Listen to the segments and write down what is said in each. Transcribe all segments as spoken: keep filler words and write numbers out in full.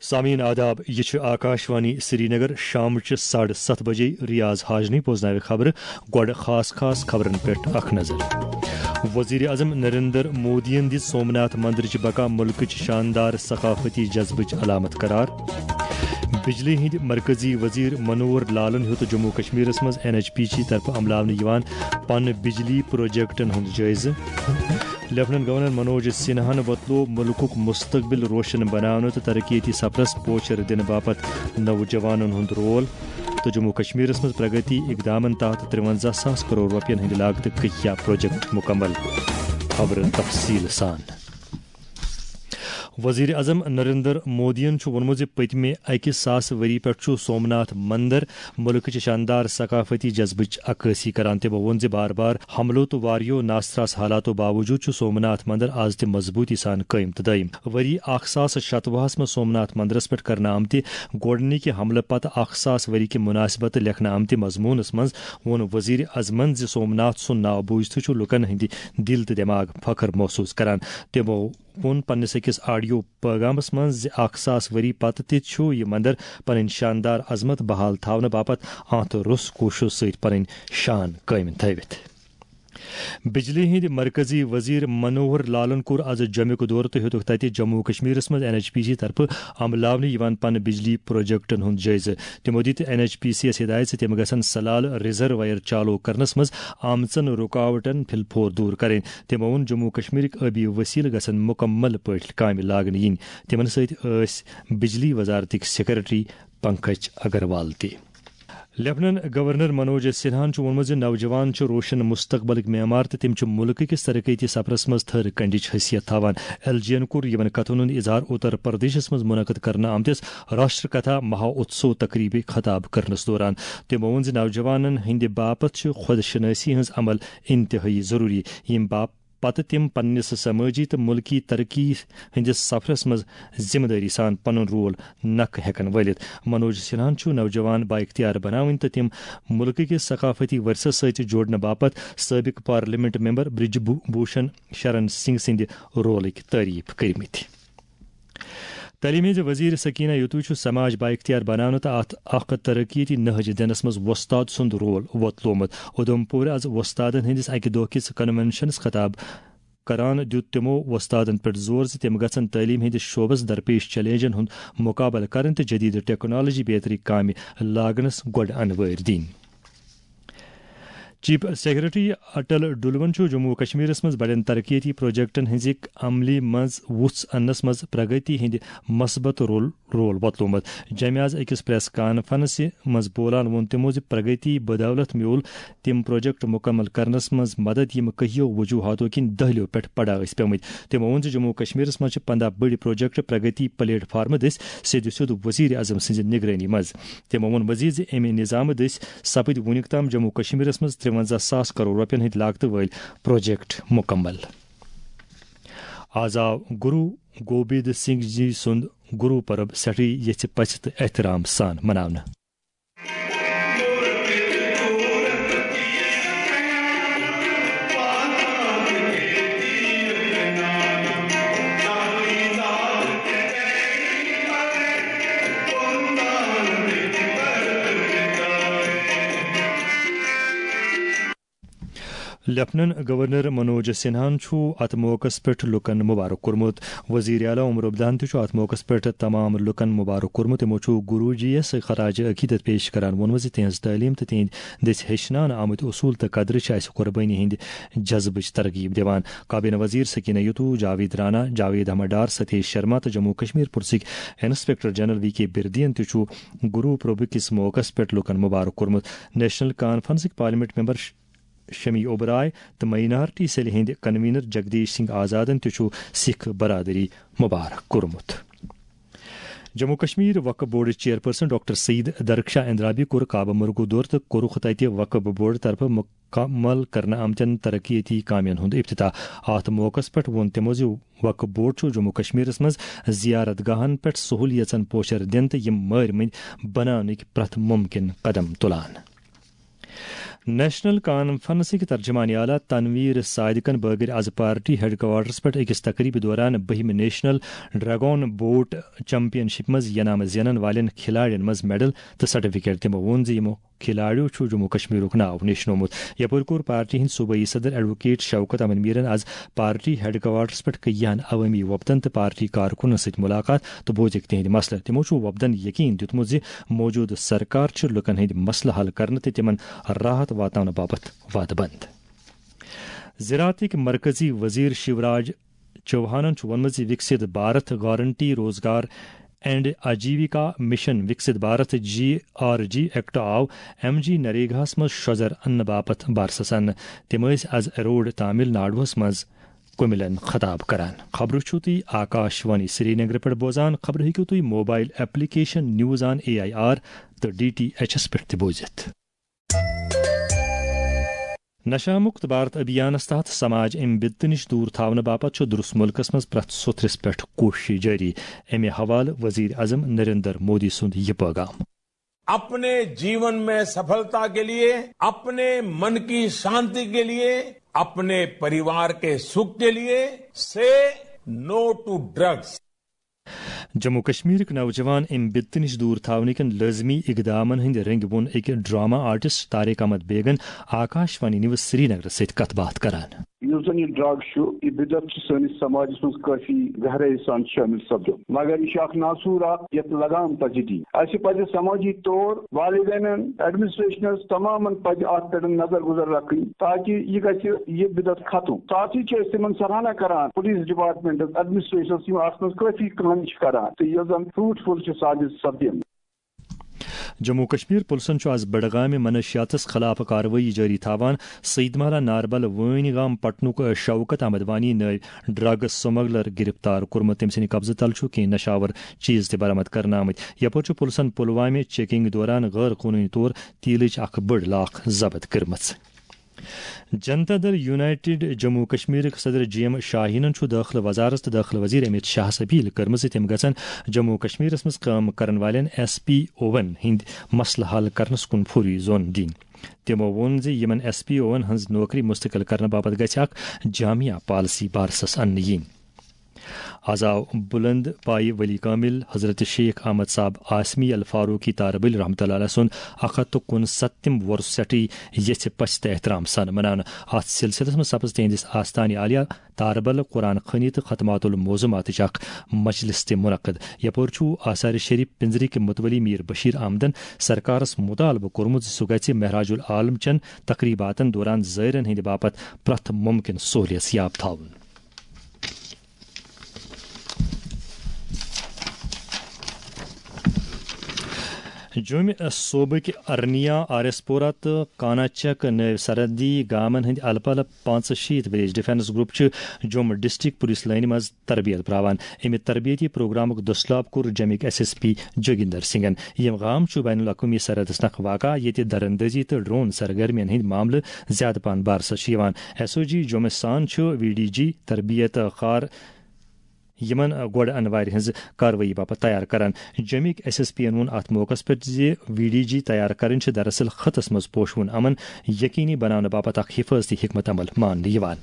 سامعین آداب، یہ چھ آکاشوانی سرینگر۔ شامچہ ساڑھٕ ستھ بجے ریاض حاجنی بوزناوِ خبرٕ۔ گۄڈٕ خاص خاص خبرن پٮ۪ٹھ اکھ نظر۔ وزیر اعظم نریندر مودیَن دِژ سومناتھ مندرٕچ بقا ملکٕچ شاندار ثقافتی جذبٕچ علامت قرار۔ بجلی ہٕنٛدۍ مرکزی وزیر منوہر لالن ہیوٚت جموں کشمیرس منٛز این ایچ پی سی طرفہٕ عملاونہٕ یِوان پن بجلی پروجیکٹن ہُنٛد جٲیزٕ۔ لیفٹیننٹ گورنر منوج سنہاہن وۄتلوو مُلکُک مستقبل روشن بناونہٕ تہٕ ترقیتی سفرس پوچھر دِنہٕ باپتھ نوجوانن ہُنٛد رول۔ تہٕ جموں کشمیرس منٛز پرگتی اقدامن تحت ترٛونزہ ساس کرور رۄپین ہٕنٛدِ لاگتہٕ ککیا پروجیکٹ مکمل۔ خبرٕ تفصیٖل سان۔ وزیر اعظم نریندر مودیَن چھُ ووٚنمُت زِ پٔتمہِ اَکہِ ساس ؤری پٮ۪ٹھ چھُ سومناتھ مندر مُلکٕچ شاندار ثقافتی جذبٕچ عکٲسی کران۔ تٔمۍ ووٚن زِ بار بار حملو تہٕ واریو ناستراس حالاتو باوجود چھُ سومناتھ مندر آز تہِ مضبوٗطی سان قٲیِم تہٕ دٲیِم۔ ؤری اکھ ساس شتوُہس منٛز سومناتھ مندرس پٮ۪ٹھ کرنہٕ آمتہِ گۄڈٕنِکہِ حملہٕ پتہٕ اکھ ساس ؤری کہِ مناسبتہٕ لیکھنہٕ آمتہِ مضموٗنس منٛز ووٚن وزیر اعظمن زِ سومناتھ سُنٛد ناو بوٗزتھٕے چھُ لوٗکن ہٕنٛدِ دِل تہٕ دٮ۪ماغ فخر محسوٗس کران۔ تِمو ووٚن پننِس أکِس آڈیو پٲغامس منٛز زِ اکھ ساس ؤری پتہٕ تہِ چھُ یہِ مندر پنٕنۍ شاندار عظمت بحال تھاونہٕ باپتھ اتھ روٚس کوٗششو سۭتۍ پنٕنۍ شان قٲیِم تھٲوِتھ۔ بجلی ہٕنٛدۍ مرکزی وزیر منوہر لالن کوٚر از جوٚمیُک دورٕ تہٕ ہیوٚتُکھ تتہِ جموں و کشمیرس منٛز این ایچ پی سی طرفہٕ عملاونہٕ یِوان پن بجلی پروجیکٹن ہُنٛد جٲیزٕ۔ تِمو دِتۍ این ایچ پی سی یَس ہدایت زِ تِم گژھن سلال ریزرویر چالو کرنس منٛز آمژن رُکاوٹن پھِل پھور دور کرٕنۍ۔ تِمو ووٚن جموں و کشمیرٕکۍ آبی وسیلہٕ گژھن مکمل پٲٹھۍ کامہِ لاگنہٕ یِنۍ۔ تِمن سۭتۍ ٲسۍ بجلی وزارتٕکۍ سیکرٹری پنکج اگروال تہِ۔ لیفٹیننٹ گورنر منوج سنہاہن چھُ ووٚنمُت زِ نوجوان چھِ روشن مستقبلٕکۍ معمار تہٕ تِم چھِ مُلکہٕ کِس ترقیتی سفرس منٛز تھٔر کنڈِچ حیثیت تھاوان۔ ایل جی یَن کوٚر یِمن کتھن ہُنٛد اظہار اتر پردیشس منٛز منعقد کرنہٕ آمتِس راشٹر کتھا مہا اتسو تقریبہِ خطاب کرنس دوران۔ تٔمۍ ووٚن زِ نوجوانن ہٕنٛدِ باپتھ چھِ خود شناسی ہٕنٛز عمل انتہٲئی ضروری، ییٚمہِ باپ پتہٕ تِم پننِس سمٲجی تہٕ مُلکی ترقی ہٕنٛدِس سفرس منٛز ذمہٕ دٲری سان پنُن رول نکھٕ ہٮ۪کن وٲلِتھ۔ منوج سنہاہن چھُ نوجوان بااختیار بناوٕنۍ تہٕ تِم مُلکہٕ کِس ثقافتی ورثس سۭتۍ جوڑنہٕ باپتھ سٲبق پارلیمنٹ ممبر برج بھو-، بھوشن شرن سنگھ سٕنٛدِ رولٕکۍ تعریف کٔرمٕتۍ۔ تعلیٖم ہٕنٛز وزیر سکینہ یتوی چھُ سماج بااختیار بناونہٕ تہٕ اتھ اکھ ترقیتی نہج دِنس منٛز وۄستاد سُنٛد رول وۄتلومُت۔ اُدھمپور از وۄستادن ہٕنٛدِس اکہِ دۄہ کِس کنونشنس خطاب کران دِیُت تِمو وۄستادن پٮ۪ٹھ زور زِ تِم گژھن تعلیٖم ہٕنٛدِس شعبس درپیش چیلنجن ہُنٛد مقابلہٕ کرٕنۍ تہٕ جدید ٹیکنالوجی بیترِ کامہِ لاگنس گۄڈٕ انوٲرۍ دِنۍ۔ چیف سیکرٹری اٹل ڈلون چھُ جموں و کشمیرس منٛز بڑٮ۪ن ترقیتی پروجیکٹن ہٕنٛزِ عملی منٛز وُژھ اننس منٛز پرگتی ہٕنٛدِ مثبت رول، رول وۄتلومُت۔ جمعہ از أکِس پریس کانفرنسہِ منٛز بولان ووٚن تِمو زِ پرگتی بدولت میول تِم پروجیکٹ مکمل کرنس منٛز مدد یِم کہیو وجوہاتو کِنۍ دہلیو پٮ۪ٹھ پڑا ٲسۍ پیمٕتۍ۔ تِمو ووٚن زِ جموں و کشمیرس منٛز چھِ پنداہ بٔڑۍ پروجیکٹ پرگتی پلیٹ فارمہٕ دٔسۍ سیٚدِ سیوٚد وزیر اعظم سٕنٛزِ نگرٲنی منٛز۔ تِمو ووٚن مزید زِ امہِ نظامہٕ دٔسۍ سپٕدۍ وُنیُک تام جموں و کشمیرس منٛز ترٛونزہ ساس کرور رۄپین ہٕنٛدۍ لاگتہٕ وٲلۍ پروجیکٹ مکمل۔ آز آو گرو گوبند سنگھ جی سُنٛد گرو پرب سٮ۪ٹھٕے یژھِ پژھِ تہٕ احترام سان مناونہٕ۔ لیفٹیننٹ گورنر منوج سنہاہن چھُ اتھ موقعس پٮ۪ٹھ لوٗکن مبارک کوٚرمُت۔ وزیر اعلیٰ عمر عبدالن تہِ چھُ اتھ موقعس پٮ۪ٹھ تمام لوٗکن مبارک کوٚرمُت۔ تِمو چھُ گروجی یس خراج عقیدت پیش کران ووٚنمُت زِ تِہنٛز تعلیٖم تہٕ تِہنٛدۍ دٔسۍ ہیٚچھناونہٕ آمٕتۍ اصوٗل تہٕ قدرٕ چھِ اسہِ قربٲنی ہٕنٛدِ جذبٕچ ترغیب دِوان۔ کابینہ وزیر سکینہ یتو، جاوید رانا، جاوید احمد ڈار، ستیش شرما تہٕ جموں کشمیر پُلسٕکۍ انسپکٹر جنرل وی کے بردین تہِ چھُ گرو پرب کِس موقعس پٮ۪ٹھ لوٗکن مبارک کوٚرمُت۔ نیشنل کانفرنسٕکۍ پارلیمنٹ ممبر ش-، شمی اوبرائے تہٕ مائنارٹی سیل ہٕنٛدۍ کنوینر جگدیش سنگھ آزادن تہِ چھُ سکھ برادری مبارک کوٚرمُت۔ Jammu Kashmir Waqf board chairperson doctor Syed Darakhshan Andrabi کوٚر کعبہ مرگو دورٕ تہٕ کوٚرُکھ تتہِ وقف بورڈ طرفہٕ مکمل کرنہٕ آمتٮ۪ن ترقیتی کامٮ۪ن ہُنٛد افتتاح۔ اتھ موقعس پٮ۪ٹھ ووٚن تِمو زِ وقف بورڈ چھُ جموں کشمیرس منٛز زیارت گاہن پٮ۪ٹھ سہولیژن پوچھر دِنہٕ تہٕ یِم مٲرۍ مٔنٛدۍ بناونٕکۍ پرٛٮ۪تھ مُمکِن قدم تُلان۔ نیشنل کانفرنسٕکۍ ترجمان اعلیٰ تنویر صادقن بٲگرۍ از پارٹی ہیڈ کوارٹرس پٮ۪ٹھ أکِس تقریبہِ دوران بٔہمہِ نیشنل ڈریگون بوٹ چیمپین شپ منٛز انعام زینن والٮ۪ن کھلاڑٮ۪ن منٛز میڈل تہٕ سرٹیفکیٹ۔ تِمو ووٚن زِ یِمو کھلاڑیو چھُ جموں کشمیرُک ناو نیشنومُت۔ یپٲرۍ کوٚر پارٹی ہٕنٛدۍ صوبٲئی صدر ایڈووکیٹ شوکت احمد میرن از پارٹی ہیڈ کوارٹرس پٮ۪ٹھ کیہن عوٲمی وفدن تہٕ پارٹی کارکُنن سۭتۍ ملاقات تہٕ بوزٕکھ تِہنٛدۍ مسلہٕ۔ تِمو چھُ وفدن یقین دیُتمُت زِ موجودٕ سرکار چھِ لُکن ہٕنٛدۍ مسلہٕ حل کرنہٕ تہٕ تِمن راحت واتناونہٕ باپتھ وعدٕ بنٛد۔ زراعتٕکۍ مرکزی وزیر شیوراج چوہانن چھُ ووٚنمُت زِ Viksit Bharat guarantee Rozgar and Ajeevika mission, Viksit Bharat G R G act آو ایم جی نریگاہس منٛز شۄزر اننہٕ باپتھ بارسس اننہٕ۔ تِم ٲسۍ از روڈ تامل ناڈوہس منٛز کُمِلن خطاب کران۔ خبرٕ چھِو تُہۍ آکاش وانی سرینگرٕ پٮ۪ٹھ بوزان۔ خبرٕ ہیٚکِو تُہۍ mobile application news on A I R تہٕ ڈی ٹی ایچ ایس پٮ۪ٹھ تہِ بوٗزِتھ۔ نشہ مکت بھارت ابھیانس تحت سماج امہِ بدتہٕ نِش دوٗر تھاونہٕ باپتھ چھُ درست مُلکس منٛز پرٛٮ۪تھ سوٚتھرِس پٮ۪ٹھ کوٗشش جٲری۔ امہِ حوالہٕ وزیر اعظم نریندر مودی سُنٛد یہِ پیغام۔ अपने जीवन में सफलता के लिए, अपने मन की शांति के लिए, अपने परिवार के सुख के लिए, से नो टू ड्रग्स। جموں کشمیرٕکۍ نوجوان امہِ بدتہٕ نِش دوٗر تھاونہٕ کٮ۪ن لٲزمی اقدامن ہٕنٛدۍ رٔنگۍ ووٚن أکۍ ڈرامہ آرٹسٹ طارق احمد بیگن آکاش وانی نیوز سرینگرس سۭتۍ کتھ باتھ کران۔ یُس زن یہِ ڈرگ چھُ، یہِ بدعت چھُ سٲنِس سماجس منٛز کٲفی گہرٲیی سان شٲمِل سپدُن، مگر یہِ چھُ اکھ ناسوٗر اکھ، یتھ لگام پزِ دِنۍ۔ اسہِ پزِ سماجی طور والدینن، ایڈمنسٹریشنس، تمامن پزِ اتھ پٮ۪ٹھ نظر گُزر رکھٕنۍ، تاکہ یہِ گژھِ یہِ بدعت ختم۔ ساتھی چھِ أسۍ تِمن سراہنا کران، پولیس ڈپارٹمنٹس، ایڈمنسٹریشنس، یِم اتھ منٛز کٲفی کامہِ چھِ کران تہٕ یۄس زن فروٹفل چھِ ثابت سپدیمٕژ۔ جموں کشمیر پُلسن چھُ از بڈگامہِ منشیاتس خلاف کاروٲیی جٲری تھاوان۔ سیدمالا ناربل وٲنۍ گام پٹنُک شوکت احمد وانی نٲوۍ ڈرگ سمگلر گرفتار کوٚرمُت۔ تٔمۍ سٕنٛدِ قبضہٕ تل چھُ کینٛہہ نشاور چیز تہِ برآمد کرنہٕ آمٕتۍ۔ یپٲرۍ چھُ پُلسن پلوامہِ چیکنگ دوران غٲر قونوٗنی طور تیلٕچ اکھ بٔڑ لاکھ ضبط کٔرمٕژ۔ جنتا دل یونائیٹڈ جموں کشمیرٕکۍ صدر جی ایم شاہینن چھُ دٲخلہٕ وزارت تہٕ دٲخلہٕ وزیر امیت شاہس اپیل کٔرمٕژ زِ تِم گژھن جموں کشمیرس منٛز کٲم کرن والٮ۪ن ایس پی اوون ہٕنٛدۍ مسلہٕ حل کرنس کُن فوری زون دِنۍ۔ تِمو ووٚن زِ یِمن ایس پی اوون ہٕنٛز نوکری مستقل کرنہٕ باپتھ گژھِ اکھ جامع پالیسی بارسس اننہٕ یِنۍ۔ از آو بلند پایہِ ولی کامل حضرت شیخ احمد صاحب آسمی الفاروقی تاربل رحمۃ اللہ علیہ سُنٛد اکھ ہتھ تہٕ کُنسَتتِم وۄرُس سٮ۪ٹھٕے یژھِ پژھِ تہٕ احترام سان مناونہٕ۔ اتھ سلسلس منٛز سپٕز تِہنٛدِس آستانہِ عالیہ تاربل قرآن خوانی تہٕ ختمات الموضوعاتٕچ اکھ مجلس تہِ منعقد۔ یپٲرۍ چھُ آثار شریف پنجرٕکۍ متولی میر بشیر احمدن سرکارس مطالبہٕ کوٚرمُت زِ سُہ گژھِ مہراج العالم چٮ۪ن تقریباتن دوران زائرن ہٕنٛدِ باپتھ پرٛٮ۪تھ ممکن سہولیت یاب تھاوُن۔ جوٚمہِ صوبٕکۍ ارنیا، آر ایس پورہ تہٕ کاناچک نٲوۍ سرحدی گامن ہٕنٛدۍ الہٕ پلہٕ پانٛژھ شیٖتھ ولیج ڈیفنس گروپ چھِ جوٚم ڈسٹرکٹ پولیس لٲنہِ منٛز تربیت پراوان۔ امہِ تربیتی پروگرامُک دٔسلاب کوٚر جوٚمِکۍ ایس ایس پی جوگیندر سنگھن۔ یِم گام چھُ بین الاقوٲمی سرحدس نکھ واقع، ییٚتہِ درندٲزی تہٕ ڈرون سرگرمین ہٕنٛدۍ معاملہٕ زیادٕ پہن بارسس چھِ یِوان۔ ایس او جی جوٚمہِ سان چھُ وی ڈی جی تربیت کار یِمن گۄڈٕ انوارِ ہٕنٛز کاروٲیی باپتھ تیار کران۔ جوٚمِکۍ ایس ایس پی ین ووٚن اتھ موقعس پٮ۪ٹھ زِ وی ڈی جی تیار کرٕنۍ چھِ دراصل خطس منٛز پوشوُن امن یقینی بناونہٕ باپتھ اکھ حفاظتی حکمت عمل ماننہٕ یِوان۔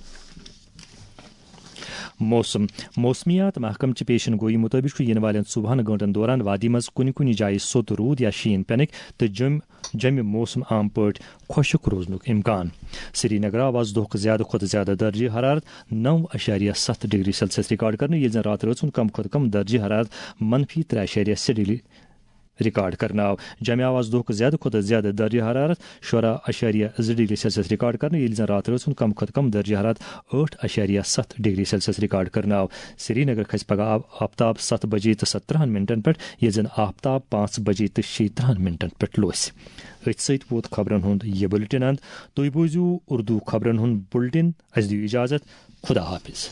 موسم۔ موسمیات محکمہٕ چہِ پیشن گویی مُطٲبِق چھُ یِنہٕ والٮ۪ن ژوٚوُہن گٲنٛٹن دوران وادی منٛز کُنہِ کُنہِ جایہِ سوٚت روٗد یا شیٖن پینٕکۍ تہٕ جوٚم-، جوٚمہِ موسم عام پٲٹھۍ خۄشک روزنُک امکان۔ سرینگر آو آز دۄہُک زیادٕ کھۄتہٕ زیادٕ درجہ حرارت نو اَشاریہ ستھ ڈگری سیلسیس ریکارڈ کرنہٕ، ییٚلہِ زن راتہٕ رٲژ ہُنٛد کم کھۄتہٕ کم درجہ حرارت منفی ترٛےٚ اَشاریہ شےٚ ڈگری ریکارڈ کرنہٕ آو۔ جوٚمہِ آو آز دۄہُک زیادٕ کھۄتہٕ زیادٕ درجہ حرارت شُراہ اَشاریہ زٕ ڈگری سیلسیس ریکارڈ کرنہٕ، ییٚلہِ زن راتہٕ رٲژ ہُنٛد کم کھۄتہٕ کم درجہ حرارت ٲٹھ اَشاریہ ستھ ڈگری سیلسیس ریکارڈ کرنہٕ آو۔ سرینگر کھسہِ پگہہ آ-، آفتاب ستھ بجے تہٕ سترہن منٹن پٮ۪ٹھ، ییٚلہِ زن آفتاب پانٛژھ بجے تہٕ شیٚیہِ ترٕٛہن منٹن پٮ۪ٹھ لوسہِ۔ أتھۍ سۭتۍ ووت خبرن ہُنٛد یہِ بُلٹن اند۔ تُہۍ بوٗزِو اردو خبرن ہُنٛد بُلٹن۔ اسہِ دِیِو اجازت۔ خدا حافظ۔